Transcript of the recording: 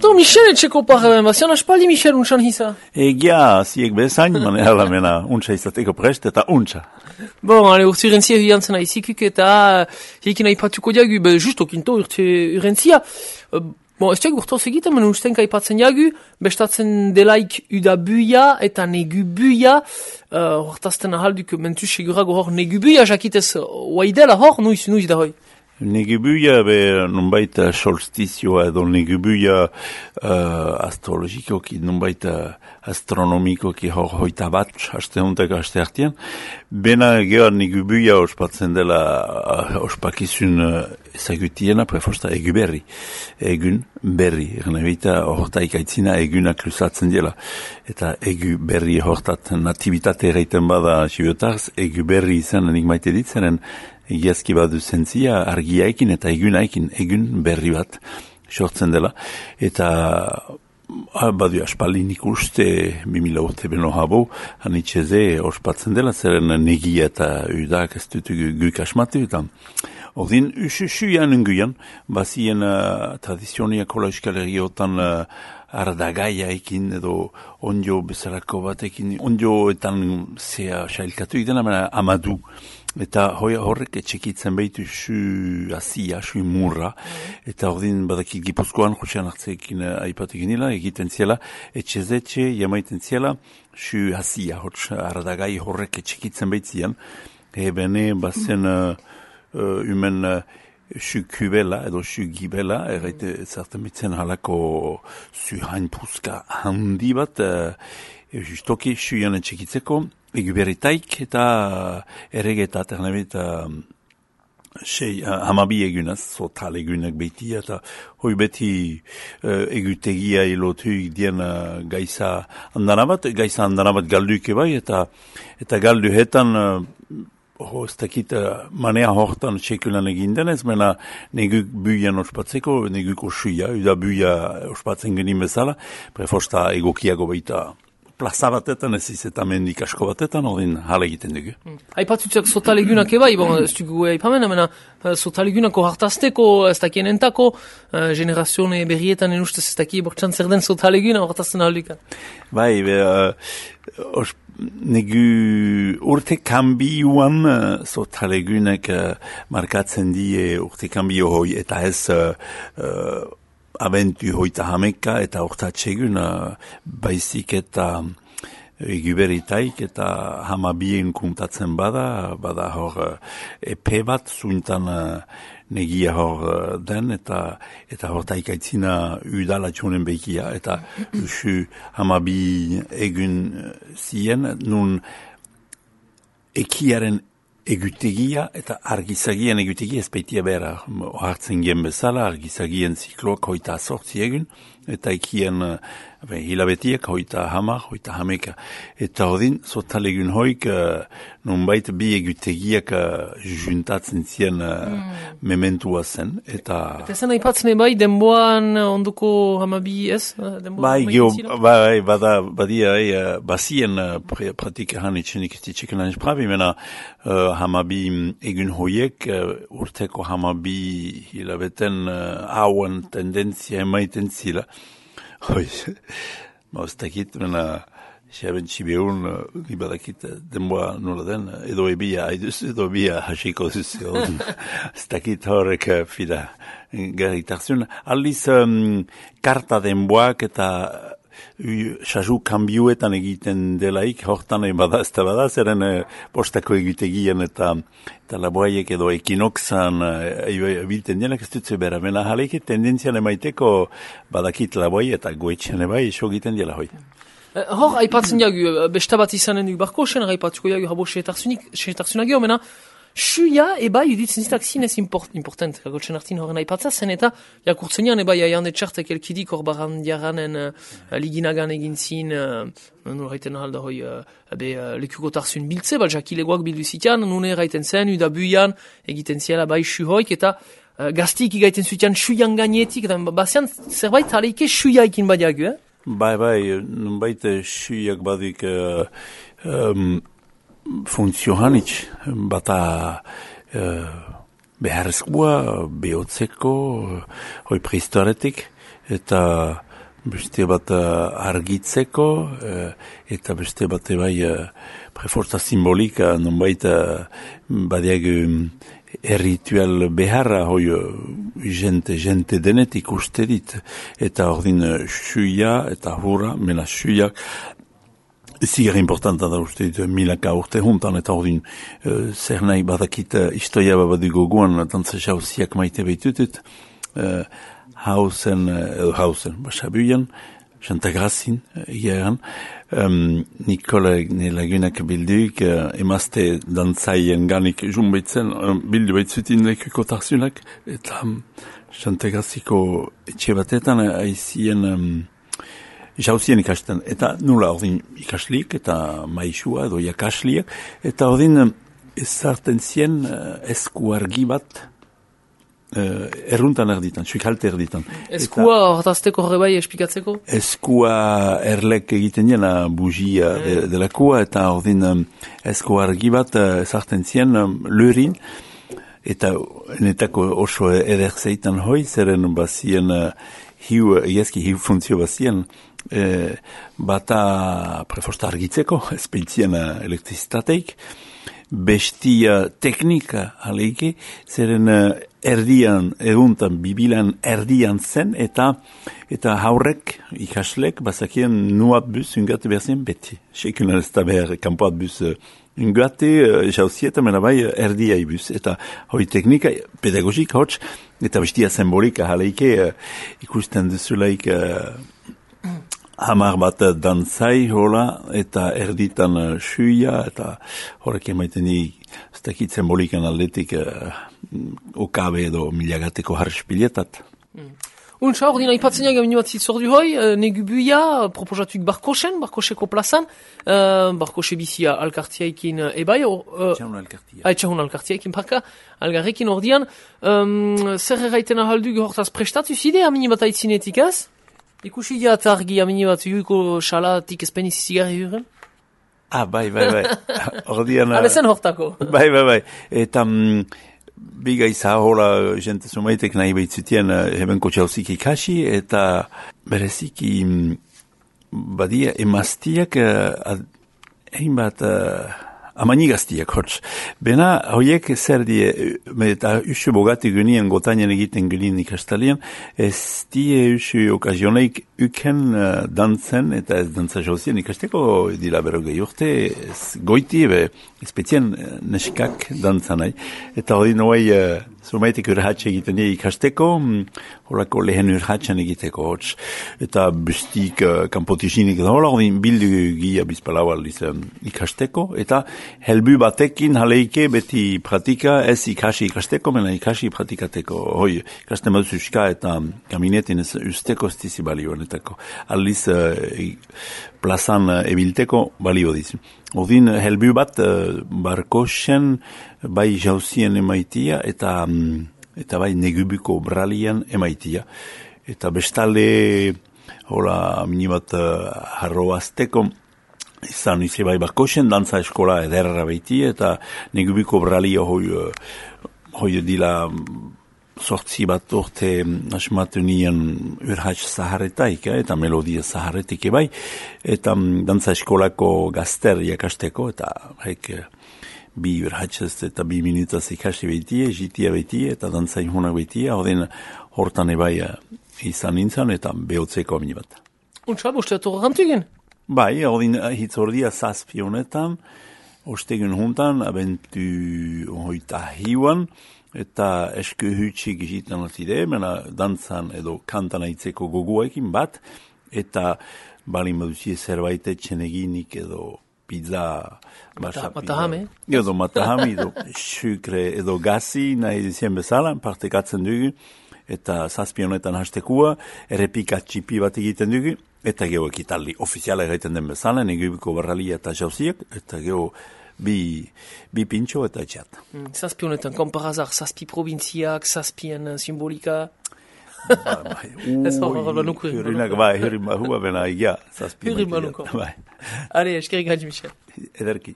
To Michel etxeko parren, bazian aspaldi Michel untsan hisa. Egia, ziek bezain, manera mena, untsa izateko prest eta untsa. Bon, ale, urte urentzia hiantzen aizikuk eta hiekin aipatuko diagu, just okinto urte urentzia. Bon, ez diagu urtoz egiten, men ustenka aipatzen diagu, bestatzen delaik udabuia eta negubuia, hortazten ahalduk mentu segurago hor negubuia, jakitez waidela hor, nuiz da hoi. Negubuia be nunbait solstizioa edo negubuia astrologikoki, nunbait astronomikoki hor hoita bat, haste hontako haste hartian. Bena geha negubuia ospatzen dela ospakizun ezagutiena, prefosta egu berri. Egun berri, ernebita hortaik aitzina egunak lusatzen dela. Eta egu berri hortat natibitate erraiten bada sibetarz, egu berri izan enik maite ditzenen, egiazki badu zentzia argiaikin eta egunaikin, egun berri bat sortzen dela. Eta badu aspaldin ikuste 2000 urte beno habo, hanitxeze ospatzen dela, zeren negia eta udak ez dut guk asmatu eta ordin usuian unguian, bazien tradizioniako Euskal Herriotan ardagaia ekin edo ondio bezalako batekin, ondioetan zea sailkatu idena, amadu. Eta horrek etxekitzen behitu su asia, su murra, eta ordin badakit Gipuzkoan, Josean Artzeekin aipatekin nila, egiten ziela, etxezetxe, jamaiten ziela, su asia, ardagai horrek etxekitzen behitzian, bene bazen humen su kubela edo su gibela, erraite zerten bitzen halako su hainpuzka handi bat, justoki suian etxekitzeko, eguberitaik eta erregetat, ernebet, hamabi egunaz, zotal egunak beti, eta hoi beti egutegia ilotuik dien gaisa handanabat galduke bai, eta galduhetan, ez dakit manea hortan txekulan egin denez, mena neguk buian ospatzeko, neguk osuia, uda buia ospatzen genin bezala, prefosta egokiago baita plaza batetan, ez izeta mendik asko batetan, ordin hala egiten dugu. Aipatutxak sotalegunak ebai, ez dugu aipamen, sotalegunako hartazteko, ez dakien entako, generazione berrietan enustez ez dakien bortxan zer den sotaleguna hartazten aldukan. Bai, negu urte kambiuan sotalegunak markatzen die urte kambio hoi, eta ez abentu hoita hameka eta hortatxegun baizik eta eguberitaik eta hamabien kuntatzen bada hor epe bat zuintan negia hor den eta hortaik aitzina udalatxonen behikia eta usu hamabi egun zien nun ekiaren egutegia eta argizagien egutegia ezpeitia bera. Hartzen gen bezala, argizagien zikloak hoita 8 egun, eta ekien hilabetiak hoita hameka. Eta hodin, sotalegun hoik, nonbait bi egutegiak juntatzen zien mementua zen. Eta zen aipatzen bai, denboan onduko hamabi ez? Bai, badia, bazien praktikahan itxenik itxekenan esprabi, mena hamabi egun hoiek, urteko hamabi hilabeten hauen tendentzia emaiten zila. Hoi, maustakit, mena, xaben txibeun, ibadakit, denboa nola den, edo ebia haiduz, edo ebia hasiko duz, stakit horrek fida garritarzun. Aldiz, karta denboak eta xazu kanbioetan egiten delaik, hortan bada, ez da bada, zeren postako egitegian eta laboaiek edo ekinoxan bilten dienak ez dutze bera. Mena jaleik tendentzian emaiteko badakit laboai eta goetxean ebai iso egiten dela hoi. Hor, aipatzen jagu, bestabat izanen duk barko, sen aipatuko jagu habo xetarzunak jo, mena, suia ebai uditzen zitak zinez important, gotxen hartin horren aipatza zen, eta jakurtzen jan ebai aian etxartek elkidik hor barandiaranen liginagan egin zin, nuen raiten ahalda hoi lekukotarzun biltze, bal jakilegoak bildu zitian, nune raiten zen, udabuian egiten ziela bai su hoik, eta gaztik igaiten zutian suian gainetik, eta bazian zerbait aleike suiaikin badiagu, Bai, nunbait suiak badik funtziohanitz, bata beharrezkoa, behotzeko, hoi prehistoretik, eta beste bat argitzeko, eta beste bat bai preforza simbolika, nonbait badiag erritual beharra, hoi jente denetik uste dit, eta ordin xuia eta hurra, mena xuiak, zigar importanta da uste dit, milaka urte juntan, eta ordin zer nahi badakit historia babadugu guan, dantza jauziak maite behitutut, Hausen, Basabuian, Chantagrazin, egeran, Nikola lagunak bilduik, emazte dantzaien ganik junbaitzen, bildu baitzutin lekuko tarzunak, eta Chantagraziko etxe batetan aizien jauzien ikasten, eta nula ordin ikasliek, eta maisua edo jakasliek, eta ordin ezarten zien esku argi bat, erruntan erditan, suikalte erditan. Eskua hortazteko horre bai espikatzeko? Eskua erlek egiten diena bujia delakua, eta ordin eskua argi bat ezarten zien lurin, eta netako oso ederzeitan hoi, zeren bazien hiu funtzio bazien, bata prefosta argitzeko, espeitzien elektrizitateik, bestia teknika aleike, zeren erdian, eguntan, bibilan erdian zen, eta haurrek, ikaslek, bazakien nuat bus ungate berzien beti. Sekunan ez da behar kanpoat bus ungate, jauzieta, mena bai erdia ibus. Eta hoi teknika, pedagogik hots, eta bestia simbolika aleike, ikusten duzulaik hamar bat dantzai hola, eta erditan xuia, eta horrek emaiten di, ez dakit simbolikan aldetik okabe edo miliagateko harrespilietat. Untsa, ordin aipatzen jaga minu bat zitzordu hoi, negubuia, proposatuik Barkoseko plazan, Barkose bizia alkartiaikin ebai, Etxahun alkartiaikin parka, algarrekin ordian, zer erraiten ahaldu hortaz prestatu zide, amini bat aitzinetik ez? Ikusi jat argi amini bat juiko xalatik ezpeniz zigarri huren? Bai. Ordian... Abezen hortako. Bai. Eta biga izahola jente sumaitek nahi behitzutien hebenko txauzik ikasi, eta bereziki badia emaztiak egin bat amanigaztiak hots. Bena, hoiek zer die, eta usu bogati gynien gotainen egiten gynien ikastalian, ez die usu okazioneik uken dantzen, eta ez dantza jauzien ikasteko dila berogei urte, ez goiti ebe, ezpetzien neskak dantzanai. Eta hori noai, zumaitek urhatxe egiten die ikasteko, horako lehen urhatxan egiteko hots. Eta bestik kanpotizinik da hola, hori bildu gia bizpalau aldiz ikasteko, eta helbu batekin haleike beti pratika ez ikasi ikasteko, mena ikasi pratikateko. Hoi, ikasten bat zuska eta kaminetin ez usteko stizi balio honetako. Aldiz plazan ebilteko balio dizu. Odin helbu bat Barkosen bai jauzien emaitia eta bai negubuko bralian emaitia. Eta bestalde hola minibat harroazteko izan izi bai Barkosen dantza eskola ederra beiti, eta negubuko bralio hoi dila sortzi bat urte asmatu nien urhatx zaharretaik, eta melodia zaharretik ebai, eta dantza eskolako gazter jakasteko, eta bi urhatxez eta 2 minutaz ikasi behitie, jitia behitie, eta dantza inhunak behitie, hortan ebai izan nintzen, eta behotzeko amini bat. Untsa, bosteatu gantugen? Bai, ordin hitzordia 7 honetan, ostegun juntan, abentu hoita hiuan, eta esku hutsik egiten atide, mena dantzan edo kantan aitzeko goguekin bat, eta bali maduzie zerbait etxeneginik edo pizza, matahame, edo sukre edo gazi nahi dizien bezala, partekatzen dugu, eta 7 honetan hastekua, errepika txipi bat egiten dugu, eta geho ekitaldi ofiziala egiten den bezala, negubuko barralia eta jauziak, eta geho bi pintxo eta etxat. 7 honetan, konparazar, 7 provinziak, 7 simbolika... Ez hor banuko. Hurrinak, hurrin bahua bena, 7 Hurrin banuko. Are, eskerik hain, Michel. Ederki.